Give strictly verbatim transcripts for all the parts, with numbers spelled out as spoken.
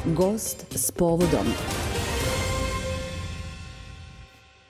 Gost s povodom.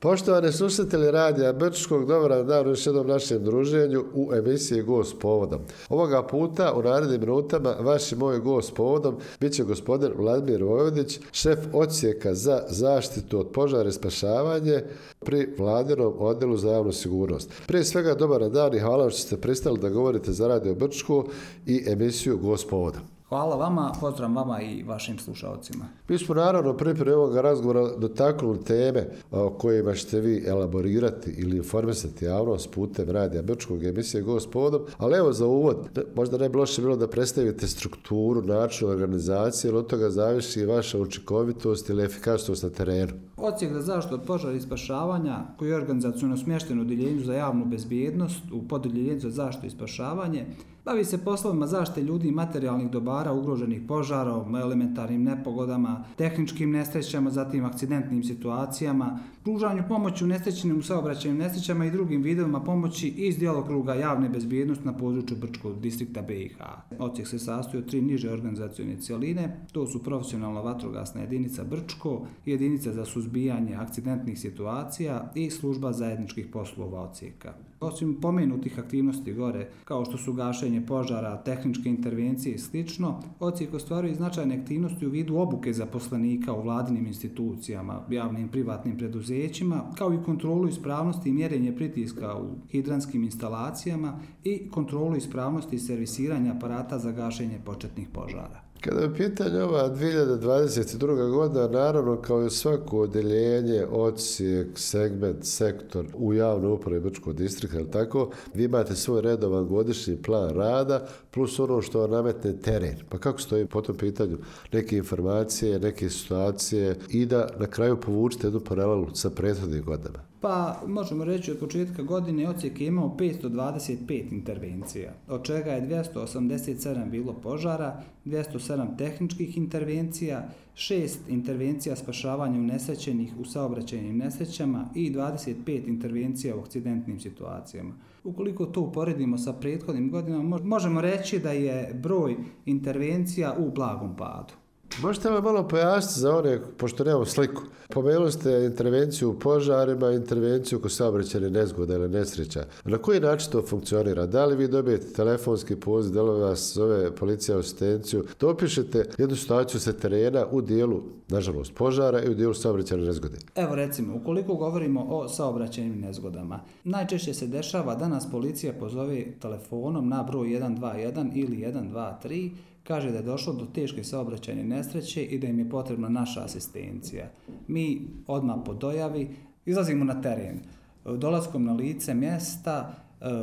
Poštovani slušatelji Radija Brčkog, dobar dan u još jednom našem druženju u emisiji Gost s povodom. Ovoga puta u narednim minutama vaš i moj gost s povodom bit će gospodin Vladimir Vojvodić, šef odsjeka za zaštitu od požara i spašavanje pri Vladinom odjelu za javnu sigurnost. Prije svega dobar dan i hvala što ste pristali da govorite za Radio Brčko i emisiju Gost s povodom. Hvala vama, pozdrav vama i vašim slušalcima. Mi smo naravno pripremi ovoga razgovora dotaknuli teme o kojima ćete vi elaborirati ili informisati javnost putem Radija Brčkog emisije Gost s povodom, ali evo za uvod, možda ne bi loše bilo da predstavite strukturu, način organizacije, jer od toga zavisi i vaša učinkovitost ili efikasnost na terenu. Odsjek za zaštitu od požara i spašavanja, koji je organizaciono smješten u Odjeljenju za javnu bezbjednost, u pododjeljenju za zaštitu i spašavanje, bavi se poslovima zaštite ljudi i materijalnih dobara ugroženih požarom, elementarnim nepogodama, tehničkim nesrećama, zatim akcidentnim situacijama, pružanju pomoći u nesrećenim saobraćajnim nesrećama i drugim vidovima pomoći iz djelokruga javne bezbjednosti na području Brčkog distrikta B i H. Odsjek se sastoji od tri niže organizacione cjeline, to su profesionalna vatrogasna jedinica Brčko, jedinica za suzbijanje akcidentnih situacija i služba zajedničkih poslova odsjeka. Osim pomenutih aktivnosti gore, kao što su gašenje požara, tehničke intervencije i slično, odsjek ostvaruje značajne aktivnosti u vidu obuke zaposlenika u vladinim institucijama, javnim privatnim preduzećima, kao i kontrolu ispravnosti i mjerenje pritiska u hidranskim instalacijama i kontrolu ispravnosti i servisiranja aparata za gašenje početnih požara. Kada je pitanje ova dvije hiljade dvadeset druga. godina, naravno kao i svako odjeljenje, odsjek, segment, sektor u javnoj upravi Brčkog distrikta, ali tako, vi imate svoj redovan godišnji plan rada plus ono što vam nametne teren. Pa kako stoji po tom pitanju neke informacije, neke situacije i da na kraju povučete jednu paralelu sa prethodnim godinama? Pa možemo reći od početka godine odsjek je imao petsto dvadeset pet intervencija, od čega je dvjesto osamdeset sedam bilo požara, dvjesto sedam tehničkih intervencija, šest intervencija spašavanja unesrećenih u saobraćajnim nesrećama i dvadeset pet intervencija u akcidentnim situacijama. Ukoliko to uporedimo sa prethodnim godinama, možemo reći da je broj intervencija u blagom padu. Možete li malo pojasniti za one, pošto nemamo sliku, pomenuli ste intervenciju u požarima, intervenciju kod saobraćajne nezgode ili nesreća. Na koji način to funkcionira? Da li vi dobijete telefonski poziv, da li vas zove policija asistenciju, da opišete jednu situaciju sa terena u dijelu, nažalost, požara i u dijelu saobraćajne nezgode? Evo recimo, ukoliko govorimo o saobraćajnim nezgodama, najčešće se dešava da nas policija pozove telefonom na broj jedan dva jedan ili jedan dva tri, kaže da je došlo do teške saobraćajne nesreće i da im je potrebna naša asistencija. Mi odmah po dojavi izlazimo na teren. Dolaskom na lice mjesta,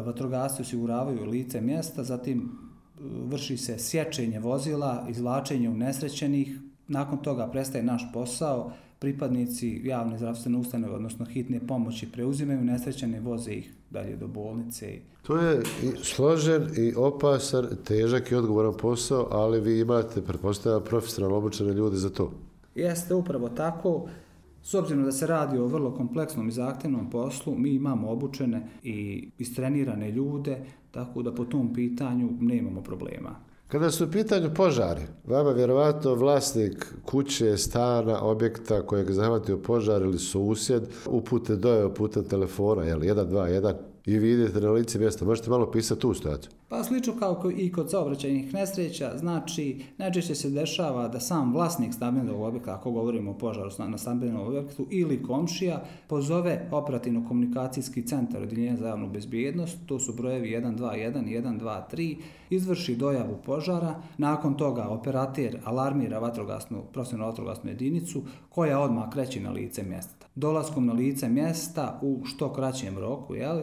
vatrogasci osiguravaju lice mjesta, zatim vrši se sječenje vozila, izvlačenje unesrećenih, nakon toga prestaje naš posao, pripadnici javne zdravstvene ustanove, odnosno hitne pomoći, preuzimaju nesrećene, voze ih dalje do bolnice. To je i složen i opasan, težak i odgovoran posao, ali vi imate, pretpostavljam, profesionalno obučene ljude za to. Jeste upravo tako. S obzirom da se radi o vrlo kompleksnom i zahtjevnom poslu, mi imamo obučene i istrenirane ljude, tako da po tom pitanju nemamo problema. Kada su u pitanju požari, vama vjerovatno vlasnik kuće, stana, objekta kojeg zahvatio požar ili susjed upute dojave putem telefona, jel, jedan dva jedan, i vi idete na lice mjesta. Možete malo pisati tu situaciju? Pa slično kao i kod saobraćajnih nesreća, znači najčešće se dešava da sam vlasnik stambenog objekta, ako govorimo o požaru na stambenom objektu, ili komšija, pozove operativno-komunikacijski centar Odjeljenja za javnu bezbjednost, to su brojevi jedan dva jedan i jedan dva tri, izvrši dojavu požara, nakon toga operater alarmira vatrogasnu, profesionalnu vatrogasnu jedinicu koja odmah kreće na lice mjesta. Dolaskom na lice mjesta u što kraćem roku, jel,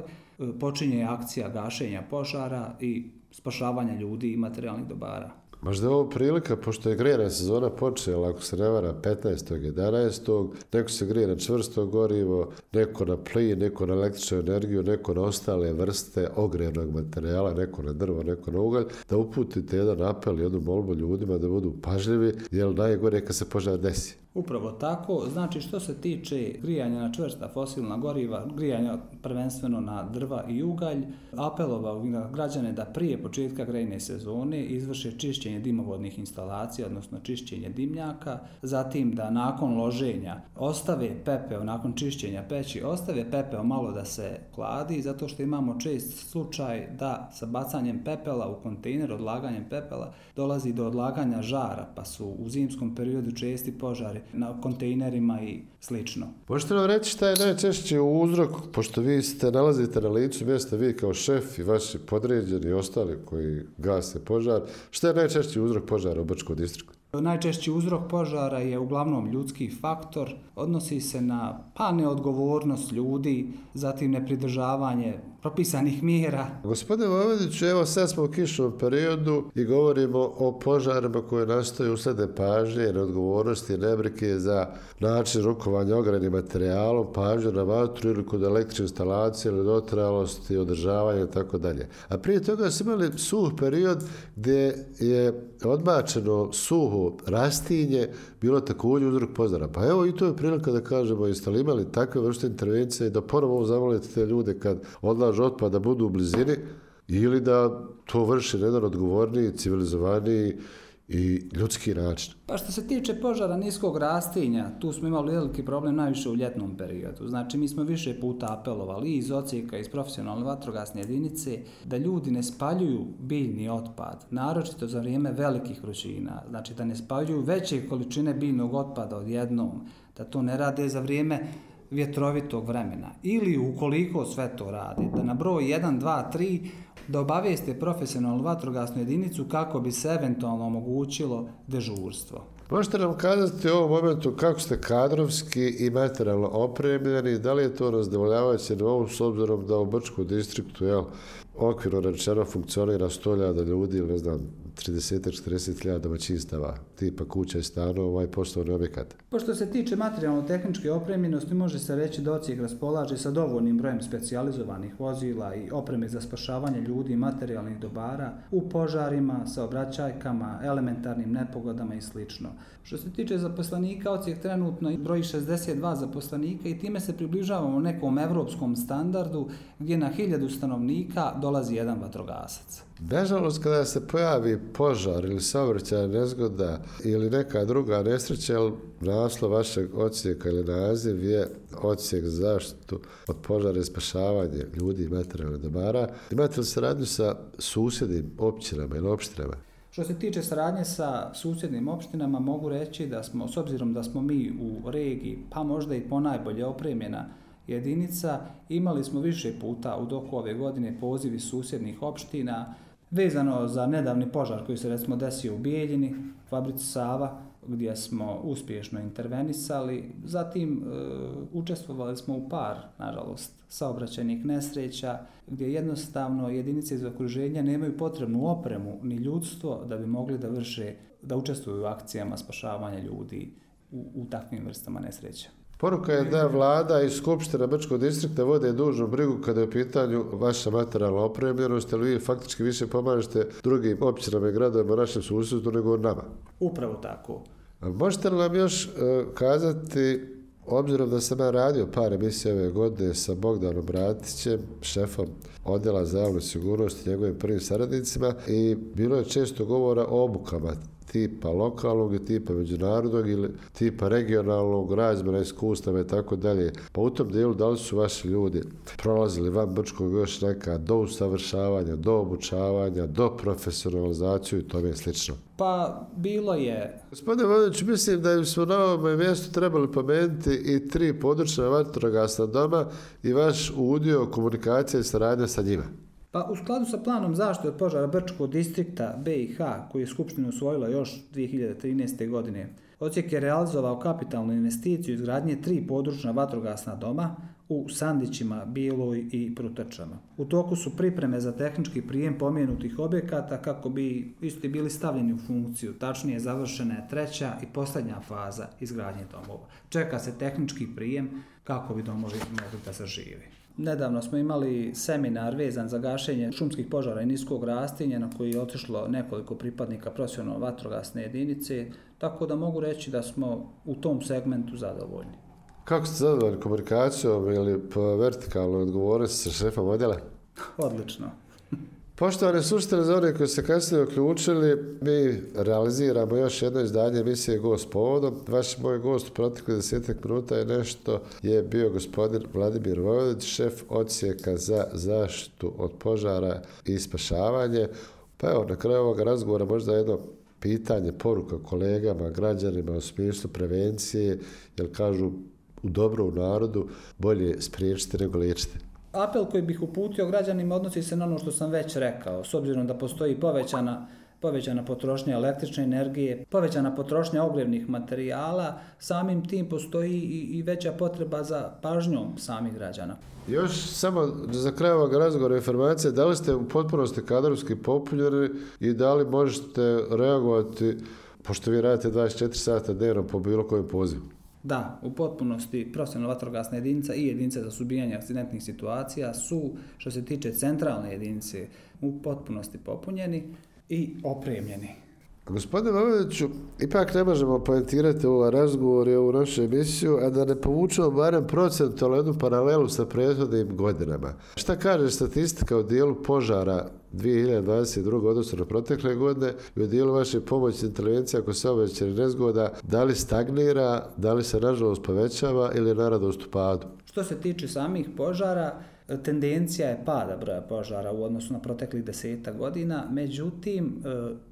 počinje akcija gašenja požara i spašavanja ljudi i materijalnih dobara. Možda je ovo prilika, pošto je grejna sezona počela, ako se ne vara, petnaestog jedanaestog Neko se grije na čvrsto gorivo, neko na plin, neko na električnu energiju, neko na ostale vrste ogrjevnog materijala, neko na drvo, neko na ugalj, da uputite jedan apel, jednu molbu ljudima da budu pažljivi, jer najgore kad se požar desi. Upravo tako, znači što se tiče grijanja na čvrsta fosilna goriva, grijanja prvenstveno na drva i ugalj, apelovao na građane da prije početka grejne sezone izvrše čišćenje dimovodnih instalacija, odnosno čišćenje dimnjaka, zatim da nakon loženja ostave pepeo, nakon čišćenja peći, ostave pepeo malo da se hladi, zato što imamo čest slučaj da sa bacanjem pepela u kontejner, odlaganjem pepela, dolazi do odlaganja žara, pa su u zimskom periodu česti požari na kontejnerima i slično. Možete nam reći šta je najčešći uzrok, pošto vi ste nalazite na licu mjesta, vi kao šef i vaši podređeni i ostali koji gase požar, šta je najčešći uzrok požara u Brčkom distriktu? Najčešći uzrok požara je uglavnom ljudski faktor, odnosi se na pa neodgovornost ljudi, zatim nepridržavanje propisanih mjera. Gospodine Momediću, evo sad smo u kišnom periodu i govorimo o požarima koje nastaju usled nepažnje, neodgovornosti, nebrige za način rukovanja ogrjevnim materijalom, pažnju na vatru ili kod električne instalacije ili dotrajalosti, održavanja i tako dalje. A prije toga smo imali suh period gdje je odbačeno suho rastinje bilo također uzrok požara. Pa evo i to je prilika da kažemo, jeste li imali takve vrste intervencije da ponovo zamolite te ljude kad odlažu otpad da budu u blizini ili da to vrši na jedan odgovorniji, civilizovaniji i ljudski način. Pa što se tiče požara niskog rastinja, tu smo imali veliki problem najviše u ljetnom periodu. Znači mi smo više puta apelovali i iz odsjeka, iz profesionalne vatrogasne jedinice, da ljudi ne spaljuju biljni otpad, naročito za vrijeme velikih vrućina. Znači da ne spaljuju veće količine biljnog otpada odjednom, da to ne rade za vrijeme vjetrovitog vremena. Ili ukoliko sve to radi, da na broj jedan, dva, tri da obavijeste profesionalnu vatrogasnu jedinicu kako bi se eventualno omogućilo dežurstvo. Možete nam kazati u ovom momentu kako ste kadrovski i materijalno opremljeni, da li je to na zadovoljavajućem nivou s obzirom da u Brčkom distriktu, jel, okvirno rečeno funkcionira sto hiljada ljudi ili ne znam, trideset do četrdeset hiljada domaćinstava, tipa kuća i stanova i poslovni objekat. Pošto se tiče materijalno-tehničke opremljenosti, može se reći da odsjek raspolaže sa dovoljnim brojem specijalizovanih vozila i opreme za spašavanje ljudi i materijalnih dobara u požarima, saobraćajkama, elementarnim nepogodama i sl. Što se tiče zaposlenika, odsjek trenutno broji šezdeset dva zaposlenika i time se približavamo nekom evropskom standardu gdje na hiljadu stanovnika dolazi jedan vatrogasac. Nažalost, kada se pojavi požar ili saobraćajna nezgoda ili neka druga nesreća, naslov vašeg odsjeka ili naziv je odsjek za zaštitu od požara i spašavanje ljudi i materijalnih dobara. Imate li saradnju sa susjednim općinama ili opštinama? Što se tiče saradnje sa susjednim opštinama, mogu reći da smo, s obzirom da smo mi u regiji, pa možda i ponajbolje opremljena jedinica, imali smo više puta u toku ove godine pozivi susjednih opština vezano za nedavni požar koji se recimo desio u Bijeljini, fabrici Sava, gdje smo uspješno intervenisali. Zatim e, učestvovali smo u par, nažalost, saobraćajnih nesreća, gdje jednostavno jedinice iz okruženja nemaju potrebnu opremu ni ljudstvo da bi mogli da vrše, da učestvuju u akcijama spašavanja ljudi u, u takvim vrstama nesreća. Poruka je da vlada i skupština Brčkog distrikta vode dužnu brigu kada je u pitanju vaša materijalna opremljenost, ali vi faktički više pomažete drugim općinama i gradovima u našem susjedstvu nego nama. Upravo tako. A možete li nam još uh, kazati, obzirom da sam ja radio par emisija ove godine sa Bogdanom Bratićem, šefom odjela za javnu sigurnost i njegovim prvim saradnicima, i bilo je često govora o obukama tipa lokalnog i tipa međunarodnog ili tipa regionalnog, razmjena iskustava i tako dalje. Pa u tom dijelu da li su vaši ljudi prolazili van Brčkog još neka do usavršavanja, do obučavanja, do profesionalizaciju i tome slično? Pa bilo je. Gospodine Momediću, mislim da smo na ovom mjestu trebali pomenuti i tri područna vatrogasna doma i vaš udio komunikacije i saradnja sa njima. Pa u skladu sa planom zaštite od požara Brčkog distrikta B i H, koji je Skupština usvojila još dvije hiljade trinaeste. godine, odsjek je realizovao kapitalnu investiciju izgradnje tri područna vatrogasna doma u Sandićima, Biloj i Prutačama. U toku su pripreme za tehnički prijem pomenutih objekata kako bi isti bili stavljeni u funkciju. Tačnije, završena je treća i posljednja faza izgradnje domova. Čeka se tehnički prijem kako bi domovi mogli da zažive. Nedavno smo imali seminar vezan za gašenje šumskih požara i niskog rastinja na koji je otišlo nekoliko pripadnika profesionalne vatrogasne jedinice, tako da mogu reći da smo u tom segmentu zadovoljni. Kako ste zadovoljni komunikacijom ili po vertikalnoj odgovornosti sa šefom odjela? Odlično. Poštovani slušatelji, za one koji se kasnije uključili, mi realiziramo još jedno izdanje emisije Gost povodom. Vaš moj gost u proteklih desetak minuta je nešto je bio gospodin Vladimir Vojvodić, šef odsjeka za zaštitu od požara i spašavanje. Pa evo, na kraju ovoga razgovora možda jedno pitanje, poruka kolegama, građanima u smislu prevencije, jer kažu u dobru narodu bolje spriječiti nego liječiti. Apel koji bih uputio građanima odnosi se na ono što sam već rekao, s obzirom da postoji povećana, povećana potrošnja električne energije, povećana potrošnja ogrjevnih materijala, samim tim postoji i, i veća potreba za pažnjom samih građana. Još samo za kraj ovog razgovora informacije, da li ste u potpunosti kadrovski popunjeni i da li možete reagovati, pošto vi radite dvadeset četiri sata dnevno po bilo kojem pozivu? Da, u potpunosti profesionalna vatrogasna jedinica i jedinice za suzbijanje akcidentnih situacija su, što se tiče centralne jedinice, u potpunosti popunjeni i opremljeni. Gospodine Vojvodiću, ipak ne možemo poentirati ovaj razgovor i ovu našu emisiju, a da ne povučemo barem procentualnu jednu paralelu sa prethodnim godinama. Šta kaže statistika u dijelu požara dvije hiljade dvadeset druge. odnosno na protekle godine i u dijelu vaše pomoći intervencija kod saobraćajnih nezgoda, da li stagnira, da li se nažalost povećava ili je naradost u padu? Što se tiče samih požara, tendencija je pada broja požara u odnosu na proteklih desetak godina, međutim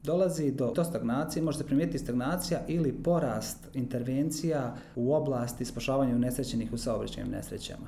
dolazi do, do stagnacije, može se primijetiti stagnacija ili porast intervencija u oblasti spašavanja unesrećenih u saobraćajnim nesrećama.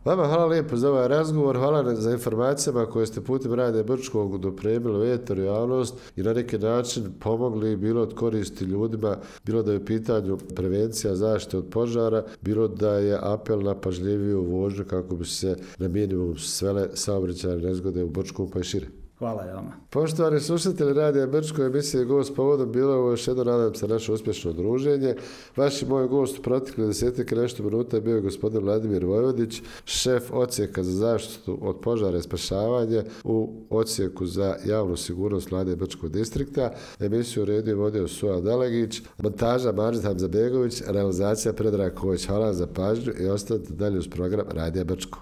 Vama hvala lijepo za ovaj razgovor, hvala za informacijama koje ste putem Radija Brčkog dopremili u eter javnost i na neki način pomogli bilo od koristi ljudima, bilo da je u pitanju prevencija zaštite od požara, bilo da je apel na pažljiviju vožnju kako bi se na minimum svele saobraćajne nezgode u Brčkom pa i šire. Hvala i vama. Poštovani slušatelji Radija Brčko, emisije Gost povodom, bilo je ovo još jedno, nadam se, naše uspješno druženje. Vaš i moj gost u proteklih desetak i nešto minuta je bio gospodin Vladimir Vojvodić, šef odsjeka za zaštitu od požara i spašavanje u odsjeku za javnu sigurnost Vlade Brčkog distrikta. Emisiju redio vodio Suja Dalegić, montaža Mađid Hamzabegović, realizacija Predrag Ković. Hvala za pažnju i ostanite dalje uz program Radija Brčko.